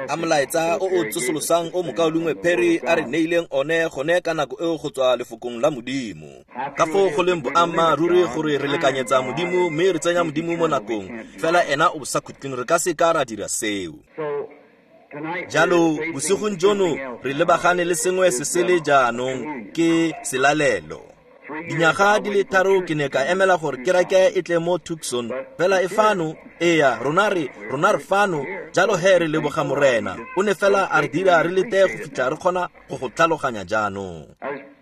A molaetsa o o tsosolosang o mokaulengwe Perry a re neileng one gone ka nako eo go tswa lefokong la Modimo. Ka foo go leng boammaaruri gore re lekanyetsa Modimo mme re tsenya Modimo mo nakong, fela ena o bosakhutleng, re ka se ka ra dira seo. Jalo bosigong jono re lebagane le sengwe se sele jaanong, ke selalelo. Dinyaga di le tharo ke ne ka emela gore kereke e tle mo Tucson, fela e fano, eya, rona re fano, jalo he re leboga Morena. O ne fela a re dira re lete go fitlha re kgona go go tlhaloganya jaanong.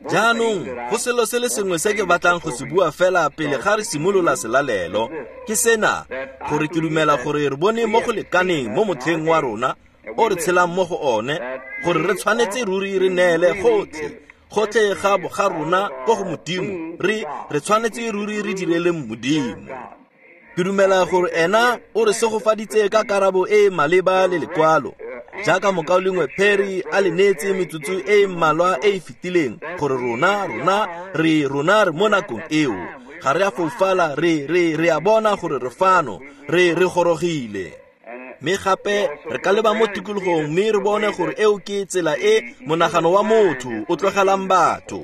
Jaanong, go selo se le sengwe se ke batlang go se bua fela pele ga re simolola selalelo, ke sena, gore ke dumela gore re bone mo go lekaneng mo motlheng wa rona o re tshelang mo go one, gore re tshwanetse ruri re neele gotlhe ga boga rona ko go Modimo, re tshwanetse ruri re direleng Modimo. Ke dumela gore ena o re segofaditse ka karabo e e maleba le lekwalo, jaaka mokaulengwe Perry a le neetse metsotso e e mmalwa e e fetileng, gore rona re mo nakong eo. Ga re a foufala, re a bona gore re fano, re gorogile. Mme gape re ka leba mo tikologong mme re bone gore eo ke tsela e monagano wa motho o tlogelang batho.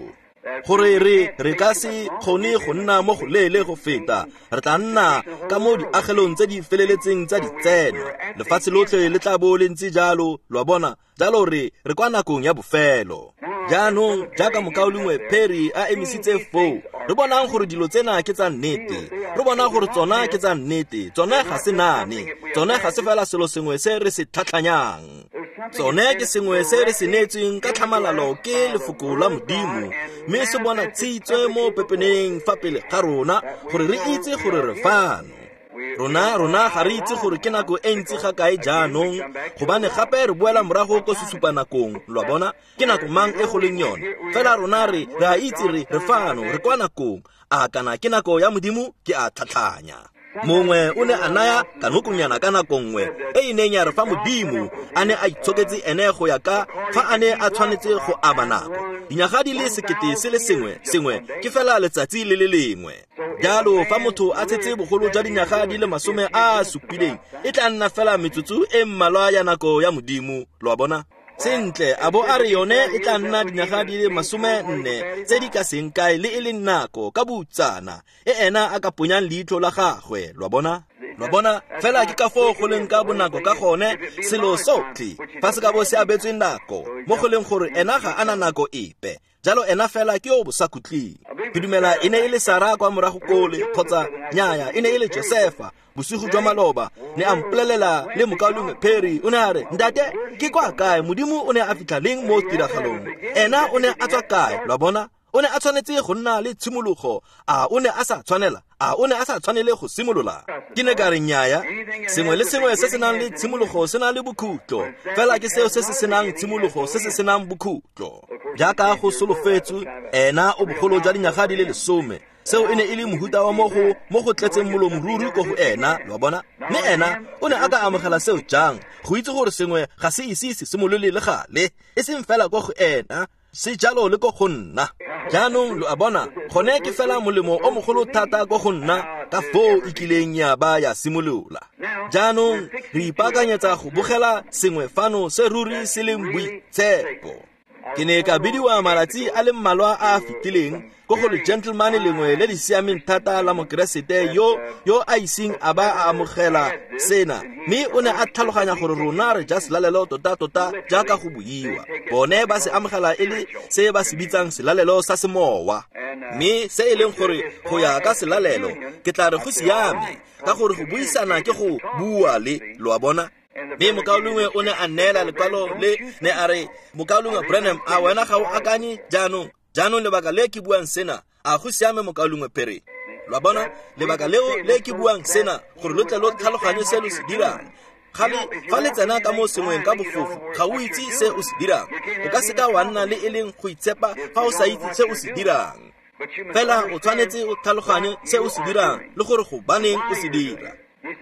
Gore re ka se kgone go nna mo go leele go feta, re tla nna ka mo diagelong tse di feleletseng tsa ditseno. Lefatshe lotlhe le tla bo le ntse jalo, lo a bona, jalo re kwa nakong ya bofelo. Jaanong jaaka mokaulengwe Perry a emisitse foo, re bonang gore dilo tsena ke tsa nnete, re bona gore tsona ke tsa nnete, tsone ga se naane, tsone ga se fela selo sengwe se re se tlhatlhanyang. Tsone ke sengwe se re se neetsweng ka tlhamalalo ke lefoko la Modimo, mme se bona tshitswe mo pepeneng fa pele ga rona gore re itse gore re fano. Rona ga re itse gore ke nako e ntsi ga kae jaanong, gobane gape re boela morago ko sesupanakong, lo a bona, ke nako mang e go leng yone. Fela rona re a itse re fano, re kwa nakong. A kana ke nako ya Modimo, ke a tlhatlhanya. Mongwe o ne a naya kanokonyana ka nako nngwe e e neng ya re fa Modimo a ne a itshoketse ene go ya ka fa a ne a tshwanetse go aba nako, dinyaga di le 1000 sengwe ke fela letsatsi le le lengwe. Jalo fa motho a tshetse bogolo jwa dinyaga di le 70, e tla nna fela metsotso e mmalwa ya nako ya Modimo, lo a bona. Sentle, a bo a re yone e tla nna dinyaga di le 40 tse di ka seng kae le e leng nako ka boutsana e ena a ka ponyang leitlho la gagwe, lo a bona. Lo bona, fela ke ka foo go leng ka bonako ka gone selo sotlhe fa se ka bo se abetswe nako, mo go leng gore ena ga ana nako epe. Jalo ena fela ke yo bosakhutleng. Ke dumela e ne e le Sara kwa morago kole, kgotsa nyaya, e ne e le Josefa bosigo jwa maloba, ne a mpolelela le mokaulengwe Perry, o ne a re, ntate, ke kwa kae Modimo o ne a fitlha leng mo tiragalong? Ena o ne a tswa kae? Lo a bona, o ne a tshwanetse go nna le tshimologo. A o ne a sa tshwanela? A o ne a sa tshwanele go simolola? Ke ne ka re nnyaya, sengwe le sengwe se se nang le tshimologo se na le bokhutlo, fela ke seo se se senang tshimologo se se senang bokhutlo. Jaaka go solofetswe, ena o bogolo jwa dinyaga di le 10. Seo e ne e le mohuta wa mo go tletseng molomoruri ko go ena, lo a bona. Mme ena o ne a ka amogela seo jang, go itse gore sengwe ga se ise se simolole le gale, e seng fela ko go ena, se jalo le ko go nna. Jaanong lo a bona, gone ke fela molemo o mogolo thata ko go nna ka foo e kileng ya ba ya simolola. Jaanong re ipaakanyetsa go bogela sengwe fano se ruri se leng boitshepo. Ke ne ka bidiwa malatsi a le mmalwa a a fetileng ko go le gentleman lengwe le le siameng thata la Mokeresete yo a iseng a ba a amogela sena, mme o ne a tlhaloganya gore rona re ja selalelo tota-tota jaaka go buiwa. Bone ba se amogela e le se ba se bitsang selalelo sa semowa, mme se e leng gore go ya ka selalelo ke tla re go siame, ka gore go buisana ke go bua le, lo a bona. Mme mokaulengwe o ne a neela lekwalo le, ne a re, mokaulengwe Branham, a wena ga o akanye jaanong? Jaanong lebaka le ke buang sena, a go siame mokaulengwe Perry? Lo a bona, lebaka leo le ke buang sena, gore lo tle lo tlhaloganye se lo se dirang. Fa le tsena ka mo sengweng ka bofofu, ga o itse se o se dirang. O ka seka wa nna le e leng go itshepa fa o sa itse se o se dirang. Fela o tshwanetse o tlhaloganye se o se dirang le gore gobaneng o se dira.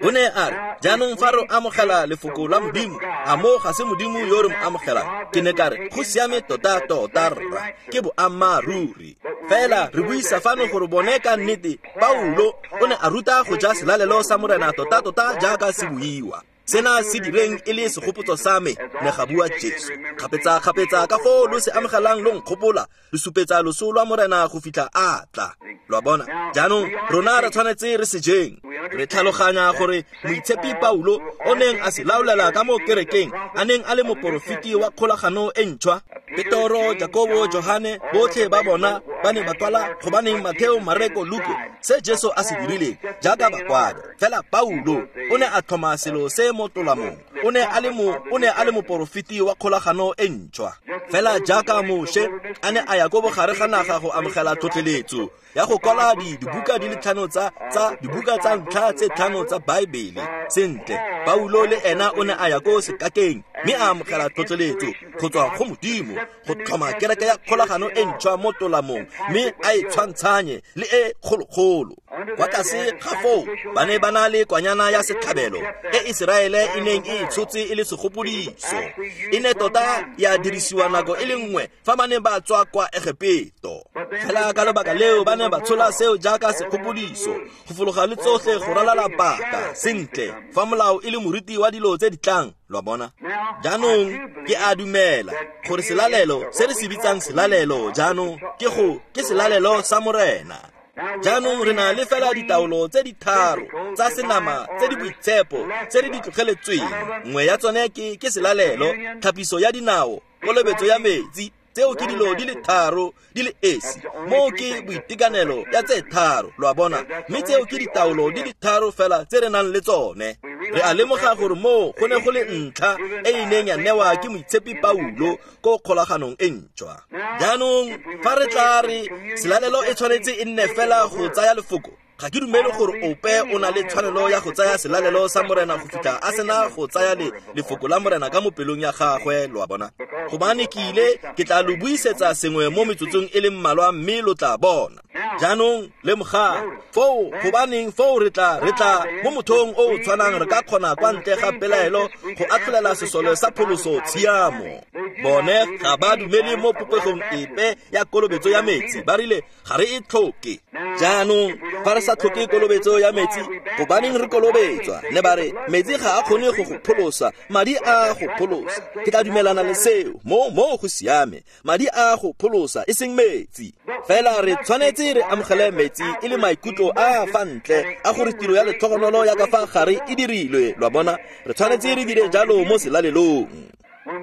O ne a re, jaanong fa re amogela lefoko la Modimo, a mo ga se Modimo yo re mo amogelang? Ke ne ka re, go siame tota-tota rra, ke boammaaruri. Fela re buisa fano gore bone ka nnete, Paulo o ne a ruta go ja selalelo sa Morena tota-tota jaaka se buiwa. Sena se direng e le segopotso sa me, ne ga bua Jesu. Kgapetsa-kgapetsa ka foo lo se amogelang lo nkgopola, lo supetsa loso lwa Morena go fitlha a tla. Lo a bona? Jaanong rona re tshwanetse re se jeng. Re tlhaloganya gore Moitshepi Paulo o neng a se laolela ka mo kerekeng, a neng a le moporofeti wa kgolagano e ntšhwa. Petoro, Jakobo, Johane, botlhe ba bona ba ne ba kwala gobaneng Matheo, Mareko, Luko, se Jesu a se dirileng jaaka bakwadi. Fela Paulo o ne a tlhoma selo se mo tolamong. O ne a le mo, o ne a le moporofeti wa kgolagano e ntšhwa. Fela jaaka Moshe a ne a ya ko bogare ga naga go amogela tlhotlheletso ya go kwala dibuka di le tlhano tsa dibuka tsa ntlha tse tlhano tsa Baebele. Sentle, Paulo le ena o ne a ya ko sekakeng mme a amogela tlhotlheletso go tswa go Modimo go tlhoma kereke ya kgolagano e ntšhwa mo tolamong mme a e tshwantshanye le e kgologolo. Kwa tlase ga foo ba ne ba na le kwanyana ya setlhabelo e Iseraele e neng e tshotse e le segopodiso. E ne tota ya dirisiwa nako e le nngwe fa ba ne ba tswa kwa Egepeto. Fela ka lebaka leo ba ne ba tshola seo jaaka segopodiso go fologa le tsotlhe go ralala paka. Sentle, fa molao e le moriti wa dilo tse di tlang, lo a bona. Jaanong ke a dumela gore selalelo se re se bitsang selalelo jaanong ke go ke selalelo sa Morena. Jaanong re na le fela ditaolo tse di tharo tsa senama tse di boitshepo tse re di tlogeletsweng. Nngwe ya tsone ke selalelo, tlhapiso ya dinao, kolobetso ya metsi. Tseo ke dilo di le tharo di le esi. Moo ke boitekanelo ya tse tharo, lo a bona. Mme tseo ke ditaolo di le tharo fela tse re nang le tsone. Re a lemoga gore moo go ne go le ntlha e e neng ya newa ke Moitshepi Paulo ko kgolaganong e ntšhwa. Jaanong fa re tla re selalelo e tshwanetse e nne fela go tsaya lefoko, ga ke dumele gore ope o na le tshwanelo ya go tsaya selalelo sa Morena go fitlha a sena go tsaya lefoko la Morena ka mo pelong ya gagwe, lo a bona. Gobane ke ile ke tla lo buisetsa sengwe mo metsotsong e le mmalwa mme lo tla bona. Jaanong lemogang foo, gobaneng foo re tla mo mothong o o tshwanang re ka kgona kwa ntle ga pelaelo go atlholela sesole sa pholoso tshiamo. Bone ga ba dumele mo popegong epe ya kolobetso ya metsi, ba rile ga re e tlhoke. Jaanong fa re sa tlhoke kolobetso ya metsi, gobaneng re kolobetswa? Ne ba re metsi ga a kgone go go pholosa, madi a go pholosa. Ke tla dumelana le seo, mo go siame. Madi a go pholosa e seng metsi. Fela re tshwanetse re amogele metsi e le maikutlo a fa ntle a gore tiro ya letlhogonolo ya ka fa gare e dirilwe, lo a bona. Re tshwanetse re dire jalo mo selalelong.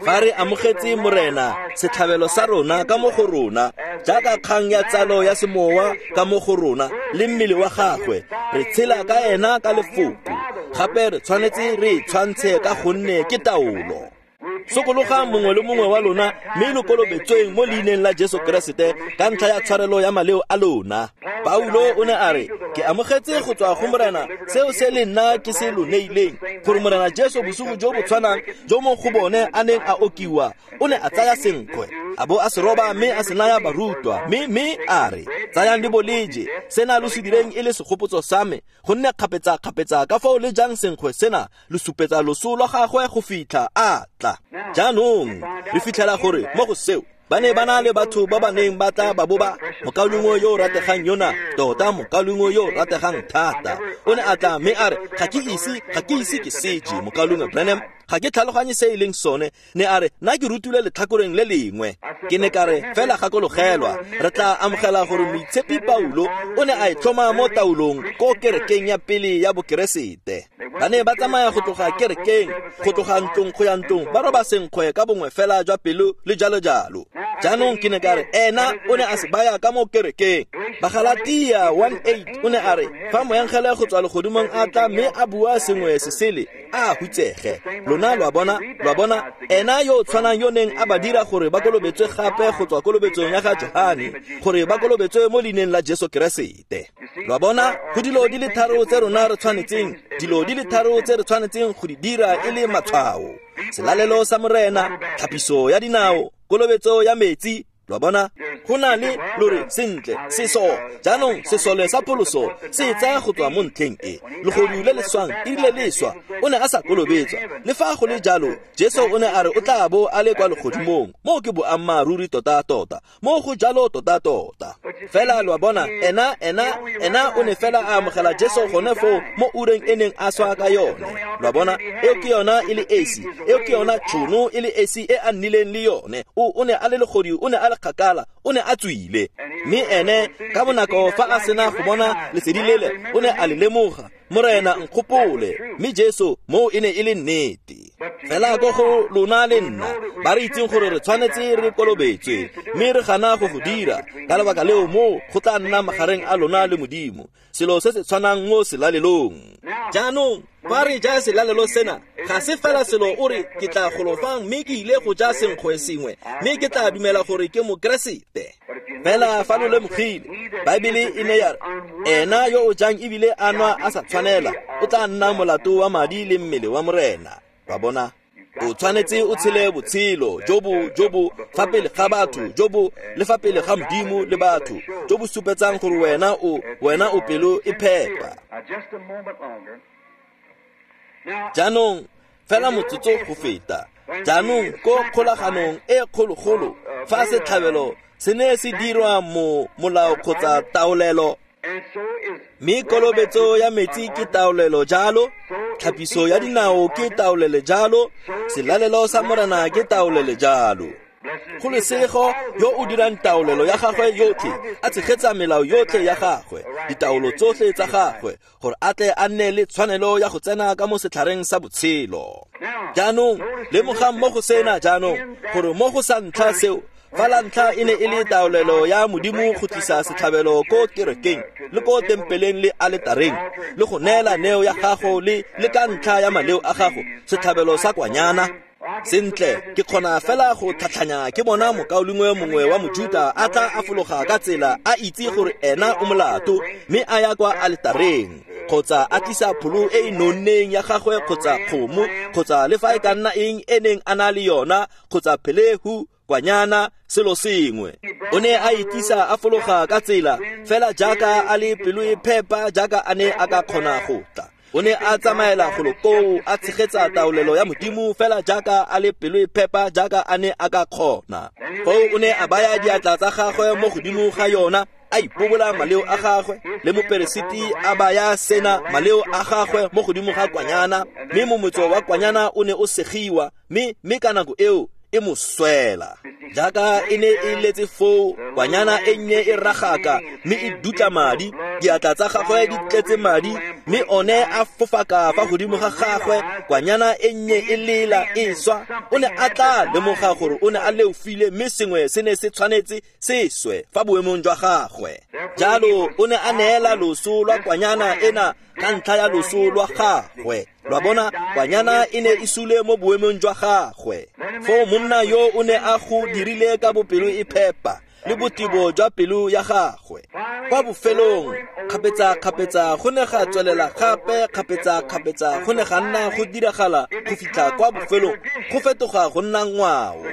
Fa re amogetse Morena setlhabelo sa rona ka mo go rona, jaaka kgang ya tsalo ya semowa ka mo go rona le mmele wa gagwe, re tshela ka ena ka lefoko. Gape re tshwanetse re tshwantshe ka gonne ke taolo. Sokologang mongwe le mongwe wa lona mme lo kolobetsweng mo leineng la Jesu Keresete ka ntlha ya tshwarelo ya maleo a lona. Paulo o ne a re, ke amogetse go tswa go Morena seo se le nna ke se lo neileng, gore Morena Jesu bosigo jo bo tshwanang jo mo go bone a neng a okiwa, o ne a tsaya senkgwe, a bo a se roba mme a se naya barutwa, mme a re, tsayang le bo le je, sena lo se direng e le segopotso sa me, gonne kgapetsa-kgapetsa ka foo le jang senkgwe sena, lo supetsa loso lwa gagwe go fitlha a tla. Jaanong re fitlhela gore mo go seo ba ne ba na le batho ba ba neng ba tla ba bo ba mokaulengwe yo o rategang yona, tota mokaulengwe yo o rategang thata, o ne a tla mme a re, ga ke ise ke seje mokaulengwe Branham, ga ke tlhaloganye se e leng sone. Ne a re, nna ke rutilwe letlhakoreng le lengwe. Ke ne ka re, fela gakologelwa, re tla amogela gore Moitshepi Paulo o ne a e tlhoma mo taolong ko kerekeng ya pele ya Bokeresete. Ba ne ba tsamaya go tloga kerekeng, go tloga ntlong go ya ntlong, ba roba senkgwe ka bongwe fela jwa pelo le jalo jalo. Jaanong ke ne ka re, ena o ne a se baya ka mo kerekeng. Bagalatia 1:8 o ne a re, fa moengele go tswa legodimong a tla mme a bua sengwe se sele, a hutsege. Lona lo a bona, ena yo o tshwanang yo neng a ba dira gore ba kolobetswe gape go tswa kolobetsong ya ga Johane, gore ba kolobetswe mo leineng la Jesu Keresete. Lo a bona, go dilo di le tharo tse rona re tshwanetseng, dilo di le tharo tse re tshwanetseng go di dira e le matshwao: selalelo sa Morena, tlhapiso ya dinao, kolobetso ya metsi. Lo a bona? Go na le lore sentle seso jaanong sesole sa pholoso se tsaya go tswa mo ntlheng e legodu le le swang erile le swa o ne a sa kolobetswa le fa go le jalo Jesu o ne a re o tla bo a le kwa legodimong moo ke boammaaruri tota-tota mo go jalo tota-tota fela lo a bona ena ena ena o ne fela a amogela Jesu gone foo mo ureng e neng a swa ka yone lo a bona eo ke yona e le esi eo ke yona tšhono e le esi e a nnileng le yone o ne a le legodi o ne a le kgakala o ne a tswile mme ene ka bonako fa a sena go bona lesedi lele o ne a le lemoga Morena nkgopole mme Jesu moo e ne e le nnete fela ko go lona le nna ba re itseng gore re tshwanetse re kolobetswe mme re gana go go dira ka lebaka leo moo go tla nna magareng a lona le Modimo selo se se tshwanang mo selalelong jaanong fa re ja selalelo sena ga se fela selo o re ke tla golofang mme ke ile go ja senkgwe sengwe mme ke tla dumela gore ke mokeresete fela fa lo lemogile Baebele e ne ya re ena yo o jang ebile a nwa a sa tshwanela o tla nna molato wa madi le mmele wa Morena ba bona o tshwanetse o tshele botshelo jo bo jo bo fa pele ga batho jo bo le fa pele ga Modimo le batho jo bo supetsang gore wena o pelo e phepa jaanong fela motsotso go feta jaanong ko kgolaganong e kgologolo fa setlhabelo se ne se dirwa mo molao kgotsa taolelo mme kolobetso ya metsi ke taolelo jalo tlhapiso ya dinao ke taolelo jalo selalelo sa Morena ke taolelo jalo go lesego yo o dirang taolelo ya gagwe yotlhe a tshegetsa melao yotlhe ya gagwe ditaolo tsotlhe tsa gagwe gore a tle a nne le tshwanelo ya go tsena ka mo setlhareng sa botshelo jaanong lemogang mo go sena jaanong gore mo go sa ntlha seo fa la ntlha e ne e le taolelo ya Modimo go tlisa setlhabelo ko kerekeng le ko tempeleng le aletareng le go neela neo ya gago le ka ntlha ya maleo a gago setlhabelo sa kwanyana sentle ke kgona fela go tlhatlhanya ke bona mokaulengwe mongwe wa Mojuta a tla a fologa ka tsela a itse gore ena o molato mme a ya kwa aletareng kgotsa a tlisa pholo e e nonneng ya gagwe kgotsa kgomo kgotsa le fa e ka nna eng e neng a na le yona kgotsa phelehu kwanyana selo sengwe o ne a itisa a fologa ka tsela fela jaaka a le pelo e phepa jaaka a ne a ka kgona go tla o ne a tsamaela golo koo a tshegetsa taolelo ya Modimo fela jaaka a le pelo e phepa jaaka a ne a ka kgona foo o ne a baya diatla tsa gagwe mo godimo ga yona a ipobola maleo a gagwe le moperesiti a baya sena maleo a gagwe mo godimo ga kwanyana mme momotso wa kwanyana o ne o segiwa mme ka nako eo e mo swela jaaka e ne e letse foo kwanyana e nnye e ragaka mme e dutla madi diatla tsa gagwe di tletse madi mme one a fofaka fa godimo ga gagwe kwanyana e nnye e lela e swa o ne a tla lemoga gore o ne a leofile mme sengwe se ne se tshwanetse se swe fa boemong jwa gagwe jalo o ne a neela loso lwa kwanyana ena ka ntlha ya loso lwa gagwe lwa bona kwanyana e ne e sule mo boemong jwa gagwe foo monna yo o ne a go dirile ka bopelo e phepa le botebo jwa pelo ya gagwe kwa bofelong kgapetsa-kgapetsa go ne ga tswelela gape kgapetsa-kgapetsa go ne ga nna go diragala go fitlha kwa bofelong go fetoga go nna ngwao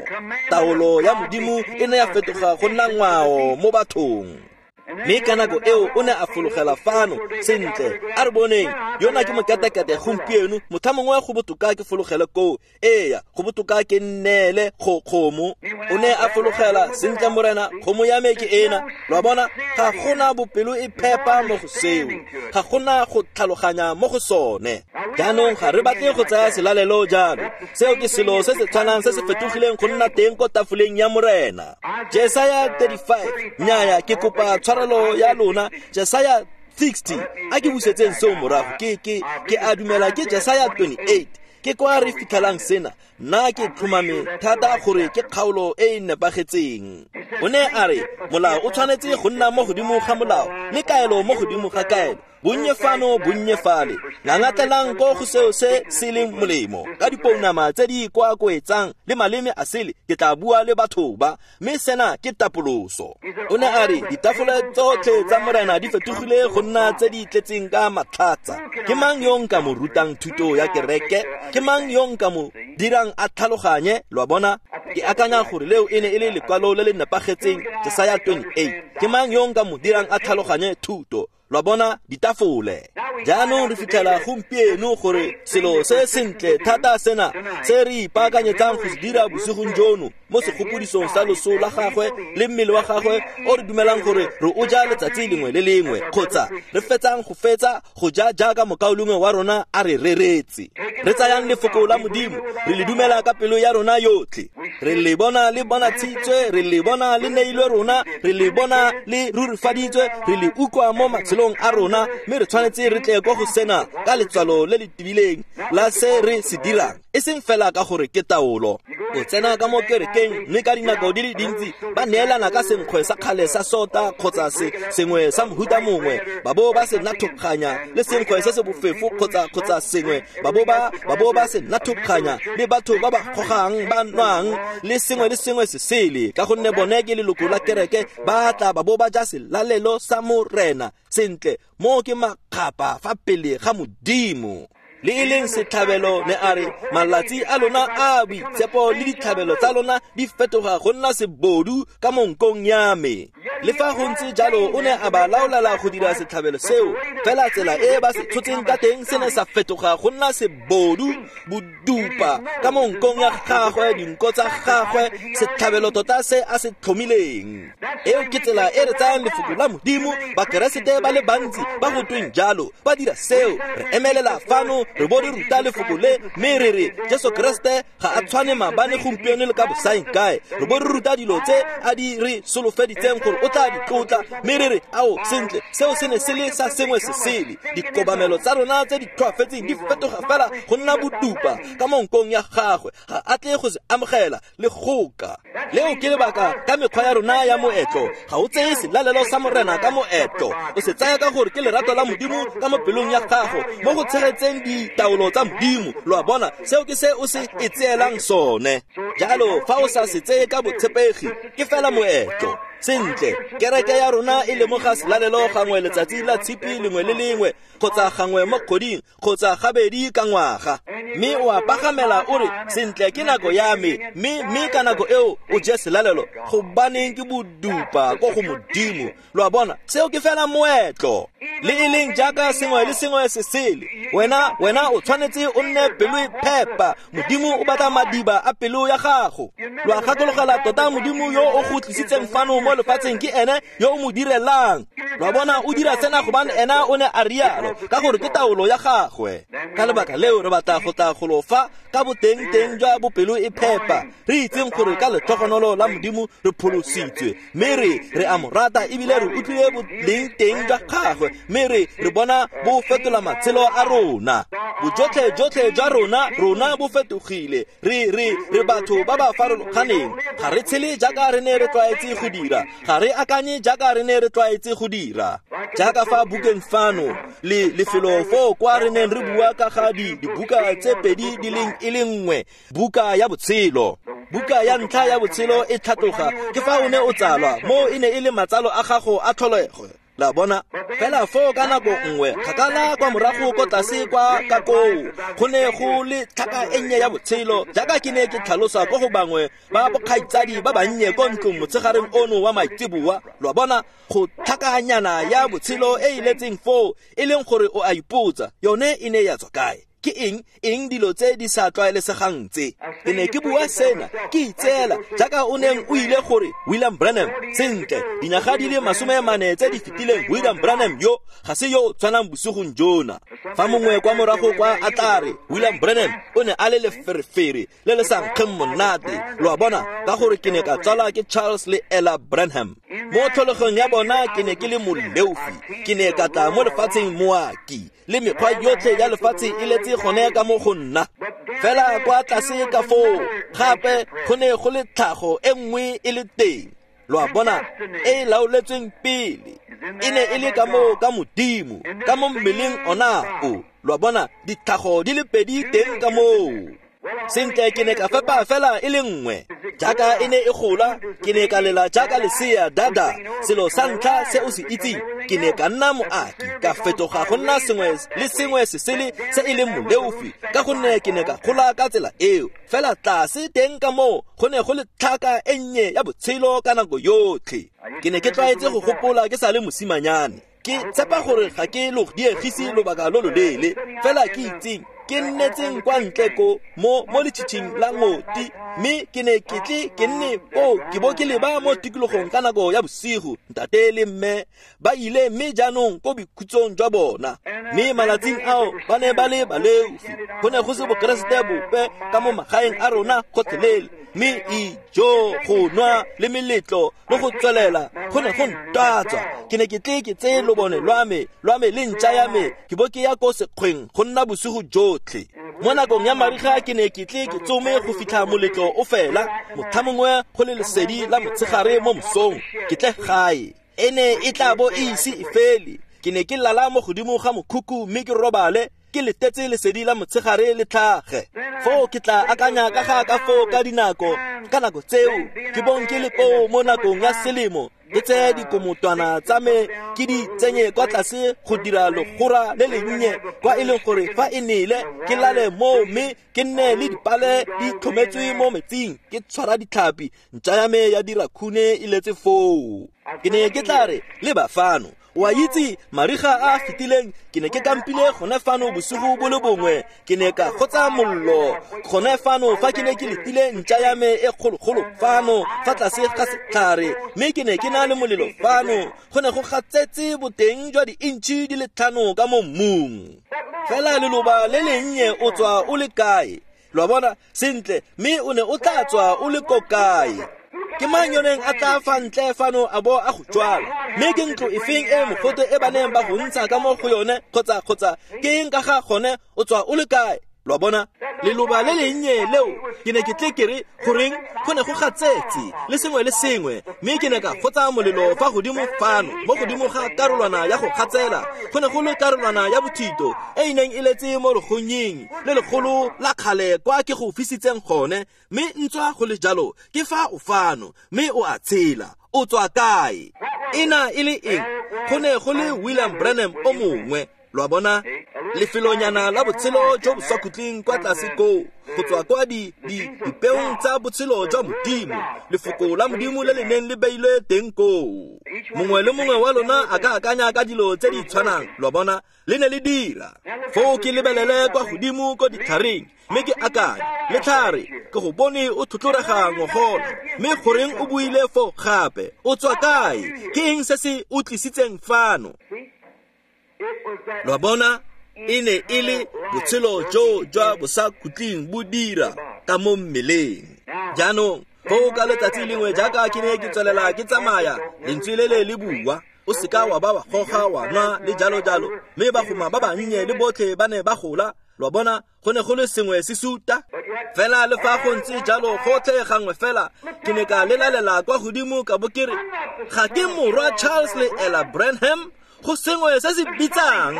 taolo ya Modimo e ne ya fetoga go nna ngwao mo bathong mme ka nako eo o ne a fologela fano sentle a re boneng yona ke mokatakate gompieno motha mongwe go botoka ke fologele koo eya go botoka ke nneele kgomo o ne a fologela sentle Morena kgomo ya me ke ena lo a bona ga gona bopelo e phepa mo go seo ga gona go tlhaloganya mo go sone jaanong ga re batle go tsaya selalelo jalo seo ke selo se se tshwanang se se fetogileng go nna teng ko tafoleng ya Morena Jesaya 35 nnyaya ke kopa tshwarelo ya lona Jesaya 60 a ke busetseng seo morago ke a dumela ke Jesaya 28 ke kwa re fitlhelang sena nna ke tlhomame thata gore ke kgaolo e e nepagetseng o ne a re molao o tshwanetse go nna mo godimo ga molao le kaelo mo godimo ga kaelo bonnye fano bonnye fale ngangatlelang ko go seo se se leng molemo ka dipounama tse di koakoetsang le maleme a sele ke tla bua le batho ba mme sena ke tapoloso o ne a re ditafole tsotlhe tsa Morena di fetogile go nna tse di tletseng ka matlhatsa ke mang yo nka mo rutang thuto ya kereke ke mang yo nka mo dirang a tlhaloganye lo a bona Ke akanya gore leo e ne e le lekwalo le le nepagetseng, Jesaya 28. Ke mang yo nka mo dirang a tlhaloganye thuto? Lwa bona ditafole. Jaanong re fitlhela gompieno gore selo se sentle thata sena se re ipaakanyetsang go se dira bosigong jono mo segopodisong sa loso la gagwe le mmele wa gagwe o re dumelang gore re o ja letsatsi lengwe le lengwe, kgotsa re fetsang go fetsa go ja jaaka mokaulengwe wa rona a re reretse. Re tsayang lefoko la Modimo, re le dumela ka pelo ya rona yotlhe. Re le bona le bonatshitswe, re le bona le neilwe rona, re le bona le rurifaditswe, re le utlwa mo matshelong a rona, mme re tshwanetse re tle ko go sena ka letswalo le le tibileng la se re se dirang, e seng fela ka gore ke taolo. O tsena ka mo kerekeng mme ka dinako di le dintsi ba neelana ka senkgwe sa kgale sa sota kgotsa se sengwe sa mohuta mongwe, ba bo ba se nathokganya le senkgwe se se bofefo kgotsa sengwe, ba bo ba se nathokganya le batho ba ba gogang ba nwang le sengwe le sengwe se sele, ka gonne bone ke leloko la kereke, ba tla ba bo ba ja selalelo sa Morena. Sentle, mo ke makgapa fa pele ga Modimo. Le e leng setlhabelo ne a re malatsi a lona a boitshepo le ditlhabelo tsa lona di fetoga go nna sebodu ka monkong ya me. Le fa go ntse jalo o ne a ba laolela go dira setlhabelo seo, fela tsela e ba se tshotseng ka teng se ne sa fetoga go nna sebodu, bodupa ka monkong ya gagwe, dinko tsa gagwe, setlhabelo tota se a se tlhomileng. Eo ke tsela e re tsayang lefoko la Modimo. Bakeresete ba le bantsi ba go tweng jalo ba dira seo. Re emelela fano re bo re ruta lefoko le, mme re re Jesu Kreste ga a tshwane maabane, gompieno le ka bosaeng kae. Re bo re ruta dilo tse a di re solofeditseng gore o tla di tlotla, mme re re ao sentle seo se ne se le sa sengwe se sele. Dikobamelo tsa rona tse di tlhoafetseng di fetoga fela go nna bodupa ka monkong ya gagwe, ga a tle go se amogela le goka. Leo ke lebaka ka mekgwa ya rona ya moetlo. Ga o tseye selalelo sa Morena ka moetlo, o se tsaya ka gore ke lerato la Modimo ka mo pelong ya gago mo go tshegetseng ditaolo tsa Modimo. Lo a bona, seo ke se o se e tseelang sone. Jalo fa o sa se tseye ka botshepegi, ke fela moetlo. Sentle, kereke ya rona e lemoga selalelo gangwe letsatsi la tshipi lengwe le lengwe, kgotsa gangwe mo kgweding, kgotsa gabedi ka ngwaga. Mme o a pagamela o re sentle ke nako ya me, mme ka nako eo o je selalelo, gobaneng ke bodupa ko go Modimo. Lo a bona, seo ke fela moetlo. Le e leng jaaka sengwe le sengwe se sele, wena o tshwanetse o nne pelo e phepa. Modimo o batla madiba a pelo ya gago. Lo a gakologela tota Modimo yo o go tlisitseng fano mo lefatsheng ke ene yo o mo direlang. Lo a bona, o dira sena gobane ena o ne a rialo, ka gore ke taolo ya gagwe. Ka lebaka leo re batla go tla golo fa ka boteng-teng jwa bopelo e phepa, re itseng gore ka letlhogonolo la Modimo re pholositswe, mme re a mo rata ebile re utlwile boleng teng jwa gagwe, mme re bona bo fetola matshelo a rona. Bojotlhe jotlhe jwa rona bo fetogile. Re batho ba ba farologaneng. Ga re tshele jaaka re ne re tlwaetse go dira, ga re akanye jaaka re ne re tlwaetse go dira. Jaaka fa bukeng fano le lefelo foo kwa re neng re bua ka ga dibuka tse pedi di leng e le nngwe, buka ya botshelo. Buka ya ntlha ya botshelo e tlhatloga ke fa o ne o tsalwa, mo e ne e le matsalo a gago a tlholego. La bona, fela foo ka nako nngwe kgakala kwa morago ko tlase kwa ka koo go ne go le tlhaka e nnye ya botshelo, jaaka ke ne ke tlhalosa ko go bangwe ba bokgaitsadi ba bannye ko ntlong motshegareng ono wa maitseboa. Lo a bona, go tlhakanyana ya botshelo e e letseng foo, e leng gore o a ipotsa yone e ne ya tswa kae. Ke eng dilo tse di sa tlwaelesegang tse? Ke ne ke bua sena ke itseela jaaka o neng o ile gore William Branham, sentle dinyaga di le 40 tse di fetileng, William Branham yo ga se yo tshwanang bosigong jona. Fa mongwe kwa morago kwa a tla re William Branham o ne a le leferefere le le sa nkgeng monate, lo a bona, ka gore ke ne ka tsalwa ke Charles le Ella Branham. Mo tlholegong ya bona ke ne ke le moleofi, ke ne ka tla mo lefatsheng moaki, le mekgwa yotlhe ya lefatshe e letse gone ka mo go nna. Fela kwa tlase ka foo gape go ne go le tlhago e nngwe e le teng, lo a bona, e e laoletsweng pele, e ne e le ka mo ka Modimo, ka mo mmeleng ona o. Lo a bona, ditlhago di le pedi teng ka moo. Sentle ke ne ka fepa fela e le nngwe. Jaaka e ne e gola, ke ne ka lela jaaka lesea dada. Selo sa ntlha se o se itseng, ke ne ka nna moaki, ka fetoga go nna sengwe le sengwe se sele se e leng moleofi, ka gonne ke ne ka gola ka tsela eo. Fela tlase teng ka moo go ne go le tlhaka e nnye ya botshelo ka nako yotlhe. Ke ne ke tlwaetse go gopola ke sa le mosimanyane. Ke tshepa gore ga ke lo diegise lobaka lo loleele, fela ke itseng ke nnetseng kwa ntle ko mo letšhitšhing la ngoti, mme ke ne ke tle ke nne koo ke bo ke leba mo tikologong ka nako ya bosigo. Ntate le mme ba ile mme jaanong ko boikhutsong jwa bona, mme malatsing ao ba ne ba le baleofi. Go ne go se bokeresete bope ka mo magaeng a rona gotlhelele, mme ijo go nwa le meletlo le go tswelela go ne go ntatswa. Ke ne ke tle ke tseye lobone lwa me le ntša ya me, ke bo ke ya ko sekgweng go nna bosigo jotlhe. Mo nakong ya mariga ke ne ke tle ke tsome go fitlha moletlo o fela, motlhamongwe go le lesedi la motshegare mo mosong, ke tle gae. E ne e tla bo e ise e fele. Ke ne ke lala mo godimo ga mokhukhu mme ke robale, ke letetse lesedi la motshegare le tlhage. Foo ke tla akanya ka ga ka foo ka dinako, ka nako tseo ke bong ke le koo mo nakong ya selemo, ke tseye dikomotwana tsa me ke di tsenye kwa tlase go dira legora le lennye, kwa e leng gore fa e nele ke lale moo mme ke nne le dipale di tlhometswe mo metsing, ke tshwara ditlhapi, ntša ya me ya dira khune e letse foo. Ke ne ke tla re leba fano. Wa itse mariga a fetileng ke ne ke kampile gone fano bosigo bo le bongwe, ke ne ka gotsa mollo gone fano fa ke ne ke letile ntša ya me e kgologolo fano fa tlase ga setlhare, mme ke ne ke na le molelo fano. Go ne go gatsetse boteng jwa di-intšhi di le 5 ka mo mmung. Fela leloba le lennye o tswa o le kae? Lo a bona sentle, mme o ne o tla tswa o le ko kae? Ke mang yo neng a tla fa ntle fano a bo a go jwala? Mme ke ntlo efeng e mogote e ba neng ba go ntsha ka mo go yone, kgotsa ke eng ka ga gone, o tswa o le kae? Lo a bona leloba le lennye leo, ke ne ke tle ke re goreng go ne go gatsetse le sengwe le sengwe, mme ke ne ka gotsa molelo fa godimo fano mo godimo ga karolwana ya go gatsela. Go ne go le karolwana ya bothito e e neng e letse mo legonyeng le legolo la kgale kwa ke go fisitseng gone, mme ntswa go le jalo ke fa o fano mme o a tshela. O tswa kae? Ena e le eng? Go ne go le William Branham o mongwe. Lo a bona lefelonyana la botshelo jo bo sa khutleng kwa tlase koo, go tswa kwa dipeong tsa botshelo jwa Modimo, lefoko la Modimo le le neng le beilwe teng koo. Mongwe le mongwe wa lona a ka akanya ka dilo tse di tshwanang. Lo a bona le ne le dira. Foo ke lebelele kwa godimo ko ditlhareng, mme ke akanya, letlhare ke go bone o tlhotlhorega ngogola, mme goreng o buile foo gape? O tswa kae? Ke eng se se o tlisitseng fano? Lo a bona e ne e le botshelo jo jwa bosakhutleng bo dira ka mo mmeleng. Jaanong foo ka letsatsi lengwe jaaka ke ne ke tswelela ke tsamaya, lentswe le le le bua, o seka wa ba wa goga wa nwa le jalo jalo, mme bagoma ba bannye le botlhe ba ne ba gola. Lo a bona go ne go le sengwe se suta. Fela le fa go ntse jalo gotlhe gangwe fela ke ne ka lelalela kwa godimo ka bo ke re, ga ke morwa Charles le Ella Branham, go sengwe se se bitsang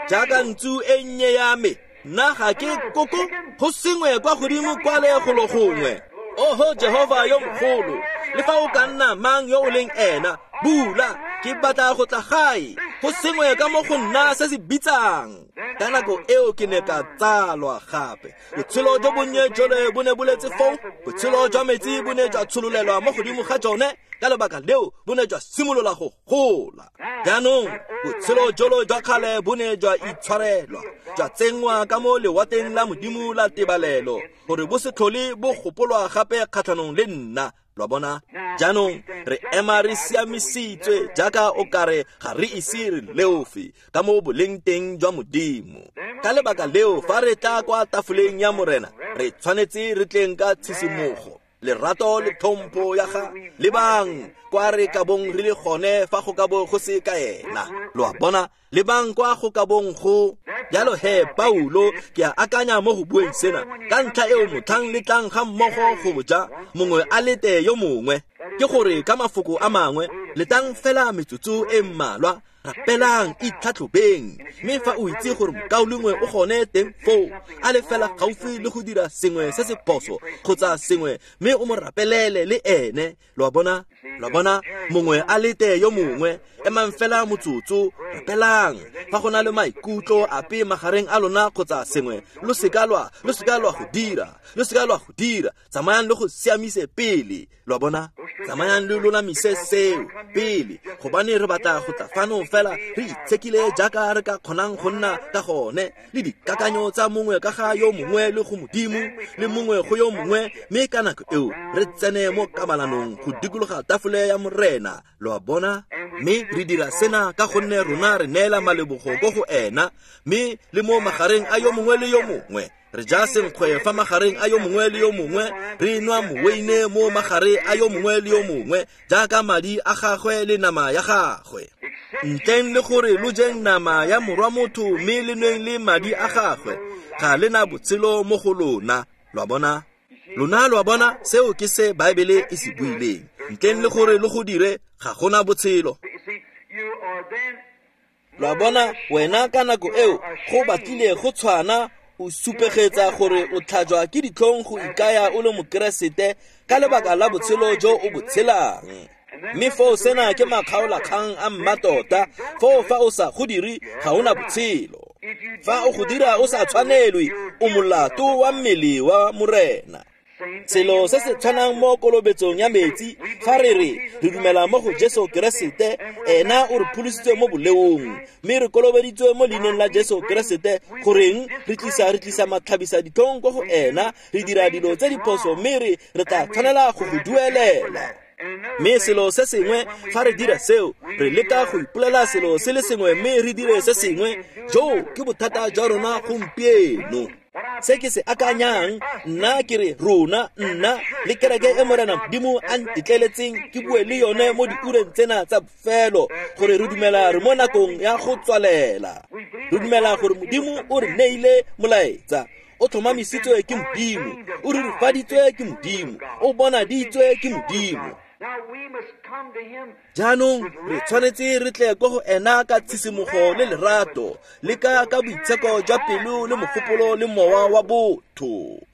jaaka ntsu e nnye ya me, nna ga ke koko, go sengwe kwa godimo kwa le golo gongwe. Oho Jehova yo mogolo, le fa o ka nna mang yo o leng ena, bula, ke batla go tla gae, go sengwe ka mo go nna se se bitsang. Ka nako eo ke ne ka tsalwa gape. Botshelo jo bonnye jole bo ne bo letse foo, botshelo jwa metsi bo ne jwa tshololelwa mo godimo ga jone, ka lebaka leo bo ne jwa simolola go gola. Jaanong botshelo jolo jwa kgale bo ne jwa itshwarelwa, jwa tsenngwa ka mo lewateng la Modimo la tebalelo, gore bo se tlhole bo gopolwa gape kgatlhanong le nna. Lo a bona jaanong re ema re siamisitswe jaaka o kare ga re ise re leofe ka mo boleng teng jwa Modimo. Ka lebaka leo fa re tla kwa tafoleng ya Morena, re tshwanetse re tleng ka tshisimogo, lerato le tlhompho ya ga lebang kwa re ka bong re le gone fa go ka bo go se ka ena. Lo a bona lebang kwa go ka bong go jalo. He Paulo ke a akanya mo go bueng sena, ka ntlha eo motlhang le tlang ga mmogo go ja, mongwe a lete yo mongwe. Ke gore ka mafoko a mangwe, letang fela metsotso e mmalwa. Rapelang, itlhatlhobeng. Mme fa o itse gore mokaulengwe o gone teng foo, a le fela gaufi le go dira sengwe se se phoso kgotsa sengwe, mme o mo rapelele le ene. Lo a bona? Lo a bona? Mongwe a lete yo mongwe. Emang fela motsotso, rapelang. Fa go na le maikutlo ape magareng a lona kgotsa sengwe, lo seka lwa, lo seka lwa go dira, lo seka lwa go dira. Tsamayang le go siamise pele. Lo a bona? Tsamayang le lolamise seo pele, gobane re batla go tla fano fela re itshekile jaaka re ka kgonang go nna ka gone, le dikakanyo tsa mongwe ka ga yo mongwe le go Modimo, le mongwe go yo mongwe, mme ka nako eo re tsene mo kabalanong go dikologa tafole ya Morena. Lo a bona? Mme re dira sena ka gonne rona re neela malebogo ko go ena, mme le mo magareng a yo mongwe le yo mongwe. Re ja senkgwe fa magareng a yo mongwe le yo mongwe, re nwa moweine mo magare a yo mongwe le yo mongwe, jaaka madi a gagwe le nama ya gagwe. Ntleng le gore lo jeng nama ya morwa motho mme le nweng le madi a gagwe, ga le na botshelo mo go lona. Lo a bona? Lona lo a bona, seo ke se Baebele e se buileng. Ntleng le gore lo go dire, ga gona botshelo. Lo a bona, wena ka nako eo go batlile go tshwana, o supegetsa gore o tlhajwa ke ditlhong go ikaya o le Mokeresete ka lebaka la botshelo jo o bo tshelang. Mme foo sena ke makgaolakgang a mmatota, foo fa o sa go dire ga o na botshelo. Fa o go dira o sa tshwanelwe, o molato wa mmele wa Morena. Selo se se tshwanang mo kolobetsong ya metsi, fa re re re dumela mo go Jesu Keresete, ena o re pholositse mo boleong, mme re kolobeditswe mo leineng la Jesu Keresete, goreng re tlisa re tlisa matlhabisa ditlhong ko go ena, re dira dilo tse di phoso, mme re re tla tshwanela go go duelela. Mme selo se sengwe, fa re dira seo, re leka go ipolela selo se le sengwe mme re dire se sengwe. Jo ke bothata jwa rona gompieno. Se ke se akanyang, nna ke re rona, nna le kereke e Morena Modimo a ntetleletseng ke bue le yone mo diureng tsena tsa bofelo, gore re dumela re mo nakong ya go tswalela. Re dumela gore Modimo o re neile molaetsa, o tlhomamisitswe ke Modimo, o rurifaditswe ke Modimo, o bonaditswe ke Modimo. Jaanong re tshwanetse re tle ko go ena ka tshisimogo le lerato, le ka ka boitsheko jwa pelo le mogopolo le mowa wa botho.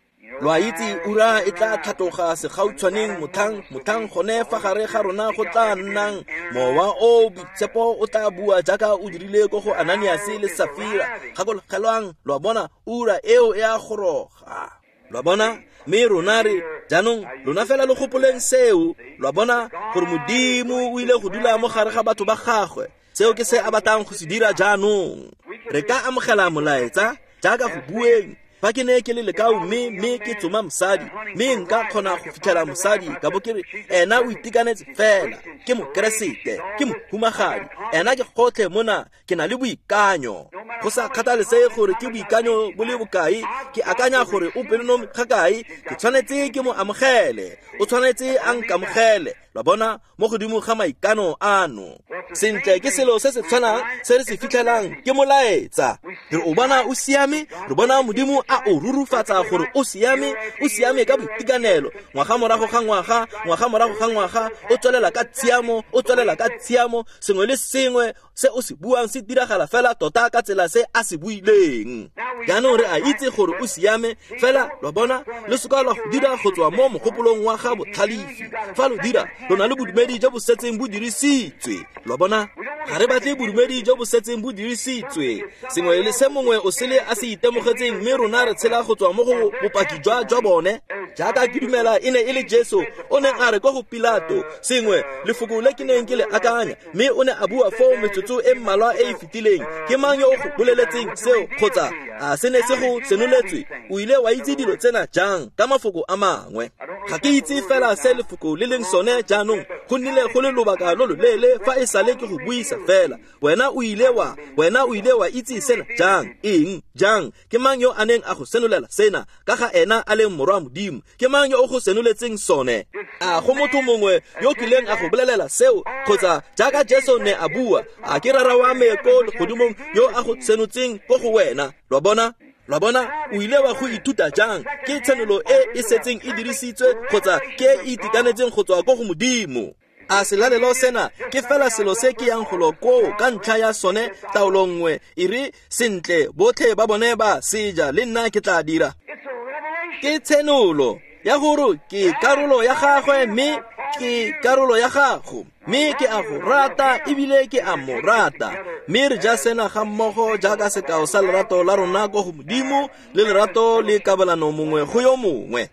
Lo a itse ura e tla tlhatloga segautshwaneng motlhang motlhang gone fa gare ga rona go tla nnang mowa o boitshepo o tla bua jaaka o dirile ko go Ananiase le Safira. Gakologelwang, lo a bona, ura eo e a goroga. Lo a bona? Mme rona re jaanong lona fela lo gopoleng seo. Lo a bona gore Modimo o ile go dula mo gare ga batho ba gagwe. Seo ke se a batlang go se dira jaanong. Re ka amogela molaetsa jaaka go bueng. Fa ke ne ke le lekau mme mme ke tsoma mosadi, mme nka kgona go fitlhela mosadi ka bo ke re ena o itekanetse fela, ke Mokeresete, ke mohumagadi, ena ke gotlhe mona, ke na le boikanyo. Go sa kgathalesege gore ke boikanyo bo le bokae, ke akanya gore o pelonomi ga kae, ke tshwanetse ke mo amogele, o tshwanetse a nkamogele. Lo a bona, mo godimo ga maikano ano. Sentle, ke selo se se tshwanang se re se fitlhelang ke molaetsa. Re o bona o siame, re bona Modimo a o rurufatsa gore o siame, o siame ka boitekanelo, ngwaga morago ga ngwaga, ngwaga morago ga ngwaga, o tswelela ka tshiamo, o tswelela ka tshiamo, sengwe le sengwe se o se buang se diragala fela tota ka tsela se a se buileng. Jaanong re a itse gore o siame, fela lo bona, lo seka lwa go dira go tswa mo mogopolong wa ga botlhalefi. Fa lo dira, lo na le bodumedi jo bo setseng bo dirisitswe. Lo bona, ga re batle bodumedi jo bo setseng bo dirisitswe, sengwe le se mongwe o sele a se itemogetseng, mme rona re tshela go tswa mo go bopaki jwa jwa bone. Jaaka ke dumela e ne e le Jesu o neng a re ko go Pilato, sengwe lefoko le ke neng ke le akanya, mme o ne a bua foo metsotso e mmalwa e e fetileng. Ke mang yo o go boleletseng seo, kgotsa a se ne se go senoletswe? O ile wa itse dilo tsena jang? Ka mafoko a mangwe, ga ke itse fela se lefoko le leng sone jaanong, go nnile go le lobaka lo loleele fa e sale ke go buisa fela. Wena o ile wa, wena o ile wa itse sena jang? Eng? Jang? Ke mang yo a neng a go senolela sena ka ga ena a leng morwa Modimo? Ke mang yo o go senoletseng sone? A go motho mongwe yo kileng a go bolelela seo, kgotsa jaaka Jesu ne a bua, a ke Rara wa me ko legodimong yo a go senotseng ko go wena? Lo bona? Lo bona, o ile wa go ithuta jang? Ke tshenolo e e setseng e dirisitswe kgotsa ke e itekanetseng go tswa ko go Modimo? A selalelo sena ke fela selo se ke yang golo koo ka ntlha ya sone taolo nngwe e re sentle botlhe ba bone ba seja le nna ke tla dira. Ke tshenolo ya gore ke karolo ya gagwe mme ke karolo ya gago, mme ke a go rata ebile ke a mo rata. Mme re ja sena ga mmogo jaaka sekao sa lerato la rona ko go Modimo le lerato le kabelano mongwe go yo mongwe.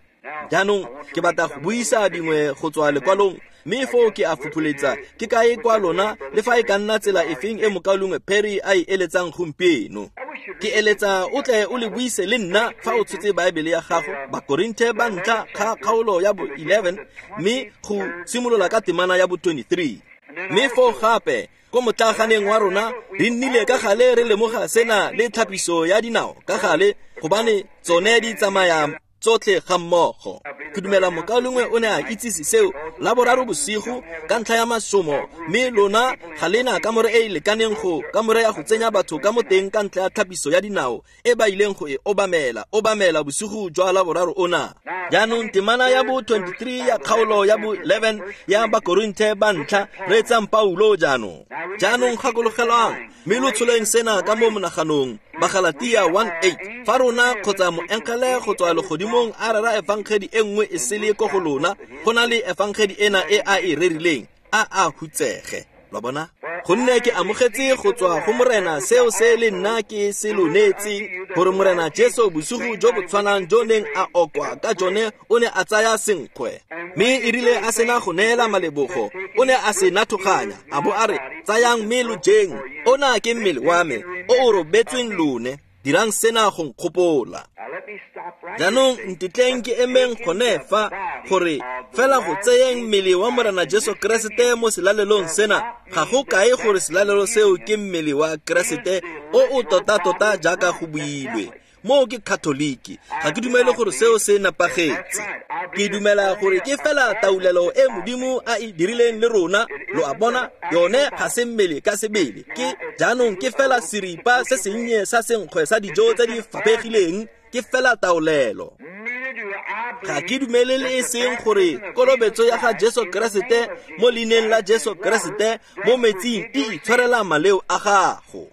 Jaanong ke batla go buisa dingwe go tswa lekwalong, mme foo ke a fopholetsa ke kae kwa lona le fa e ka nna tsela efeng e mokaulengwe Perry a e eletsang gompieno. Ke eletsa o tle o le buise le nna fa o tshotse Baebele ya gago, Bakorinthe ba ntlha ga kgaolo ya bo 11 mme go simolola ka temana ya bo 23. Mme foo gape ko motlaganeng wa rona re nnile ka gale re lemoga sena le tlhapiso ya dinao ka gale, gobane tsone di tsamaya tsotlhe ga mmogo. Ke dumela mokaulengwe o ne a itsise seo la boraro bosigo ka ntlha ya masomo, mme lona ga lena kamore e e lekaneng go kamore ya go tsenya batho ka mo teng ka ntlha ya tlhapiso ya dinao e ba ileng go e obamela bosigo jwa la boraro ona. Jaanong temana ya bo 23 ya kgaolo ya bo 11 ya Bakorinthe ba ntlha, reetsang Paulo jaanong. Jaanong gakologelwang mme lo tsholeng sena ka mo monaganong, Bagalatia 1:8, fa rona kgotsa moengele go tswa legodimong a rera efangedi e nngwe e sele ko go lona, go na le efangedi ena e a e rerileng, a a hutsege. Lo bona? Gonne ke amogetse go tswa go Morena seo se le nna ke se lo neetseng, gore Morena Jesu bosigo jo bo tshwanang jo neng a okwa ka jone o ne a tsaya senkgwe, mme e rile a sena go neela malebogo o ne a se nathoganya a bo a re, tsayang mme lo jeng, ona ke mmele wa me o o robetsweng lone, dirang sena go nkgopola. Jaanong ntetleng ke emeng gone fa gore fela go tseyeng mmele wa Morena Jesu Keresete mo selalelong sena ga go kae gore selalelo seo ke mmele wa Keresete o o tota-tota jaaka go builwe. Moo ke Katoliki, ga ke dumele gore seo se nepagetse. Ke dumela gore ke fela taolelo e Modimo a e dirileng le rona, lo a bona, yone ga se mmele ka sebele. Ke jaanong ke fela seripa se sennye sa senkgwe sa dijo tse di faphegileng, ke fela taolelo. Ga ke dumele le e seng gore kolobetso ya ga Jesu Keresete mo leineng la Jesu Keresete mo metsing e itshwarela maleo a gago.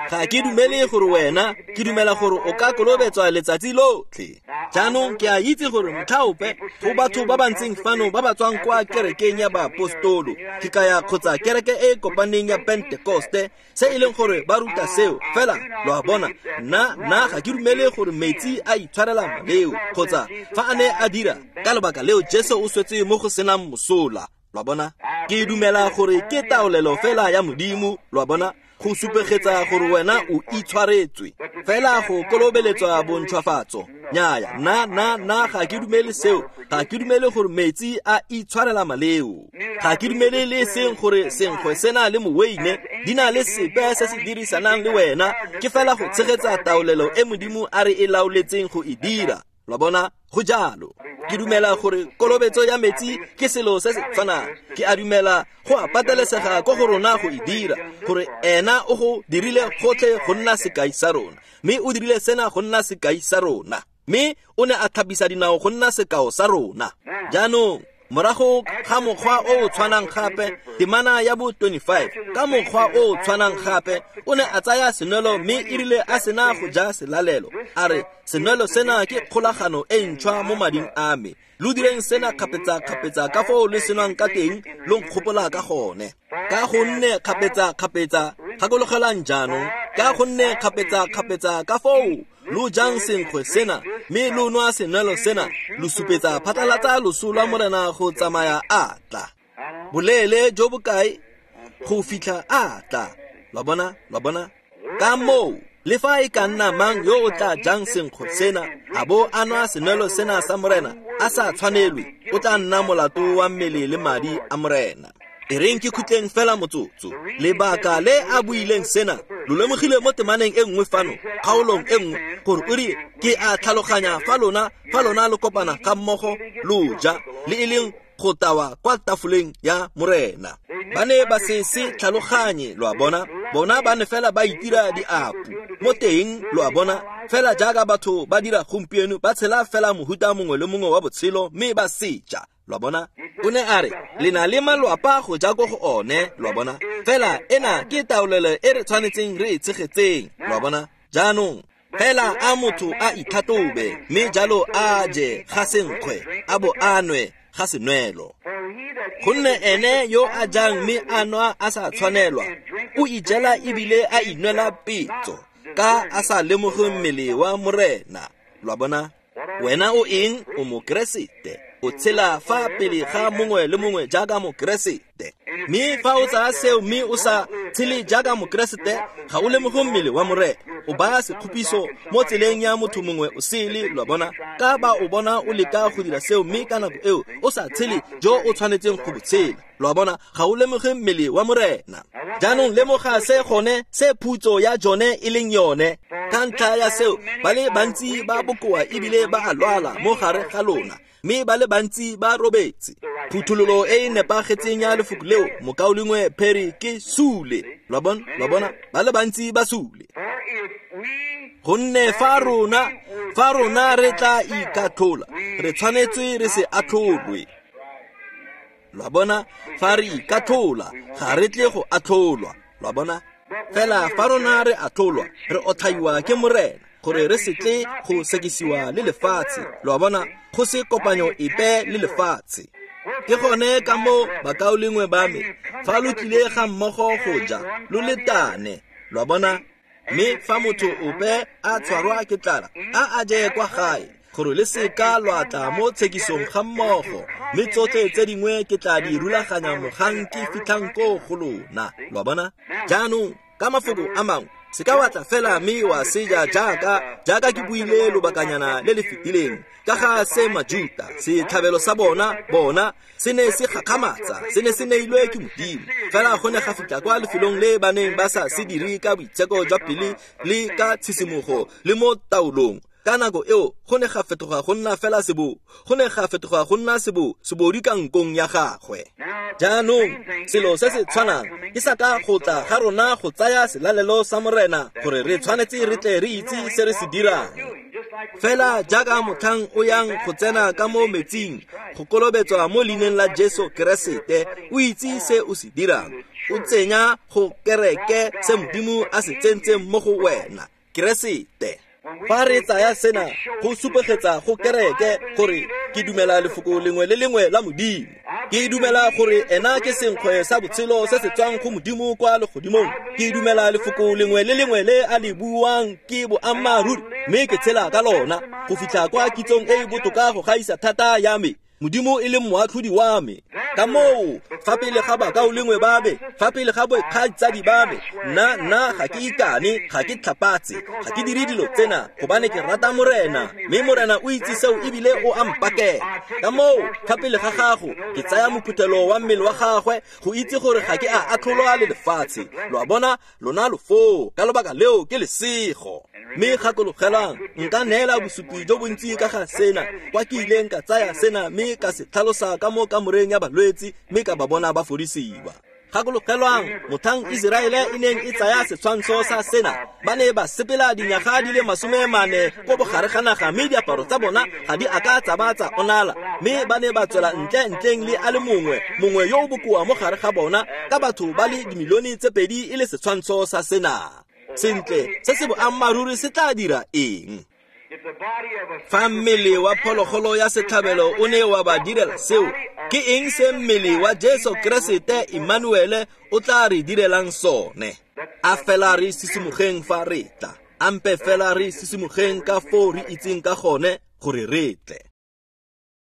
Ga ke dumele gore wena, ke dumela gore o ka kolobetswa letsatsi lotlhe. Jaanong ke a itse gore motlhaope go batho ba ba ntseng fano ba ba tswang kwa kerekeng ya baapostolo, ke kaya kgotsa kereke e e kopaneng ya Pentekoste, se e leng gore ba ruta seo. Fela lo a bona, nna ga ke dumele gore metsi a itshwarela maleo, kgotsa fa a ne a dira, ka lebaka leo Jesu o swetse mo go senang mosola. Lo a bona? Ke dumela gore ke taolelo fela ya Modimo, lo a bona, go supegetsa gore wena o itshwaretswe. Fela go kolobeletswa bontšhwafatso, nnyaya, nna ga ke dumele seo. Ga ke dumele gore metsi a itshwarela maleo. Ga ke dumele le seng gore senkgwe sena le moweine di na le sepe se se dirisanang le wena, ke fela go tshegetsa taolelo e Modimo a re e laoletseng go e dira. Lo bona? Go jalo. Ke dumela gore kolobetso ya metsi ke selo se se tshwanang. Ke a dumela go a patelesega ko go rona go e dira, gore ena o go dirile gotlhe go nna sekai sa rona, mme o dirile sena go nna sekai sa rona, mme o ne a tlhapisa dinao go nna sekao sa rona. Jaanong morago ga mokgwa o o tshwanang gape, temana ya bo 25, ka mokgwa o o tshwanang gape o ne a tsaya senwelo, mme e rile a sena go ja selalelo a re, senwelo sena ke kgolagano e ntšhwa mo mading a me, lo direng sena kgapetsa-kgapetsa ka foo le senwang ka teng, lo nkgopola ka gone. Ka gonne kgapetsa-kgapetsa, gakologelang jaanong, ka gonne kgapetsa-kgapetsa ka foo lo jang senkgwe sena mme lo nwa senwelo sena, lo supetsa phatlalatsa loso lwa Morena go tsamaya a tla. Boleele jo bokae? Go fitlha a tla. Lo bona? Lo bona? Ka moo le fa e ka nna mang yo o tla jang senkgwe sena a bo a nwa senwelo sena sa Morena a sa tshwanelwe, o tla nna molato wa mmele le madi a Morena. E reng ke khutleng fela motsotso. Lebaka le a buileng sena lo lemogile mo temaneng e nngwe fano, kgaolong e nngwe, gore o rile ke a tlhaloganya fa lona lo kopana ga mmogo lo ja le e leng go tawa kwa tafoleng ya Morena. Ba ne ba se se tlhaloganye, lo a bona, bona ba ne fela ba itira diapu mo teng, lo a bona, fela jaaka batho ba dira gompieno, ba tshela fela mohuta mongwe le mongwe wa botshelo mme ba seja. Lo a bona? O ne a re le na le malwapa go ja ko go one, lo a bona. Fela ena ke taolelo e re tshwanetseng re e tshegetseng, lo a bona. Jaanong fela a motho a itlhatlhobe, mme jalo a je ga senkgwe a bo a nwe ga senwelo. Gonne ene yo a jang mme a nwa a sa tshwanelwa, o ijela ebile a inwela petso, ka a sa lemoge mmele wa Morena. Lo a bona? Wena o eng? O Mokeresete. O tshela fa pele ga mongwe le mongwe jaaka Mokeresete. Mme fa o tsaya seo mme o sa tshele jaaka Mokeresete, ga o lemoge mmele wa Morena. O baya sekgopiso mo tseleng ya motho mongwe o sele, lo a bona. Ka ba o bona o leka go dira seo mme ka nako eo o sa tshele jo o tshwanetseng go bo tshela. Lo a bona, ga o lemoge mmele wa Morena. Jaanong lemoga se gone se phutso ya jone e leng yone. Ka ntlha ya seo, ba le bantsi ba bokoa ebile ba a lwala mo gare ga lona, mme ba le bantsi ba robetse. Phuthololo e e nepagetseng ya lefoko leo, mokaulengwe Perry, ke sule. Lo a bona? Lo a bona? Ba le bantsi ba sule. Gonne fa rona re tla ikatlhola, re tshwanetse re se atlholwe. Lo a bona? Fa re ikatlhola, ga re tle go atlholwa. Lo a bona? Fela fa rona re atlholwa, re otlhaiwa ke Morena, gore re se tle go sekisiwa le lefatshe. Lo a bona? Go se kopanyo epe le lefatshe. Ke gone ka moo, bakaulengwe ba me, fa lo tlile ga mmogo go ja, lo letane. Lo a bona? Mme fa motho ope a tshwarwa ke tlala, a a je kwa gae, gore le seka lwa tla mo tshekisong ga mmogo, mme tsotlhe tse dingwe ke tla di rulaganya mogang ke fitlhang ko go lona. Lo a bona? Jaanong, ka mafoko a mangwe, se ka wa tla fela mme wa seja jaaka ke buile lobakanyana le le fetileng ka ga se Majuta, setlhabelo sa bona se ne se gakgamatsa, se ne se neilwe ke Modimo. Fela go ne ga fitlha kwa lefelong le ba neng ba sa se dire ka boitsheko jwa pele le ka tshisimogo le mo taolong. Ka nako eo go ne ga fetoga go nna fela sebo, go ne ga fetoga go nna sebo, sebodi ka nkong ya gagwe. Jaanong selo se se tshwanang ke sa ka go tla ga rona go tsaya selalelo sa Morena, gore re tshwanetse re tle re itse se re se dirang. Fela jaaka motlhang o yang go tsena ka mo metsing go kolobetswa mo leineng la Jesu Keresete, o itse se o se dirang. O tsenya go kereke se Modimo a se tsentseng mo go wena, Keresete. Fa re tsaya sena go supegetsa go kereke gore ke dumela lefoko lengwe le lengwe la Modimo. Ke dumela gore ena ke senkgwe sa botshelo se se tswang go Modimo kwa legodimong. Ke dumela lefoko lengwe le lengwe le a le buang ke boammaaruri, mme ke tshela ka lona go fitlha kwa kitsong e e botoka go gaisa thata ya me, Modimo e leng moatlhodi wa me. Ka moo, fa pele ga bakaulengwe ba me, fa pele ga bokgaitsadi ba me, nna ga ke ikane, ga ke tlhapatse, ga ke dire dilo tsena, gobane ke rata Morena, mme Morena o itse seo ebile o a mpakela. Ka moo, fa pele ga gago, ke tsaya mophuthelo wa mmele wa gagwe go itse gore ga ke a atlholwa le lefatshe. Lo a bona? Lona lo foo, ka lobaka leo ke lesego. Mme gakologelang, nka neela bosupi jo bontsi ka ga sena, kwa ke ileng ka tsaya sena mme ka se tlhalosa ka mo kamoreng ya balwetse, mme ka ba bona ba fodisiwa. Gakologelwang, motlhang Iseraele e neng e tsaya setshwantsho sa sena, ba ne ba sepela dinyaga di le 40 ko bogare ga naga, mme diaparo tsa bona ga di a ka tsa ba tsa onala, mme ba ne ba tswela ntle ntleng le a le mongwe yo o bokoa mo gare ga bona, ka batho ba le dimilione tse 2 e le setshwantsho sa sena. Sentle, se se boammaaruri se tla dira eng? Fa mmele wa phologolo ya setlhabelo o ne wa ba direla seo, ke eng se mmele wa Jesu Keresete Emmanuele o tla re direlang sone? A fela re sisimogeng fa re tla, ampe fela re sisimogeng ka foo re itseng ka gone gore re tle.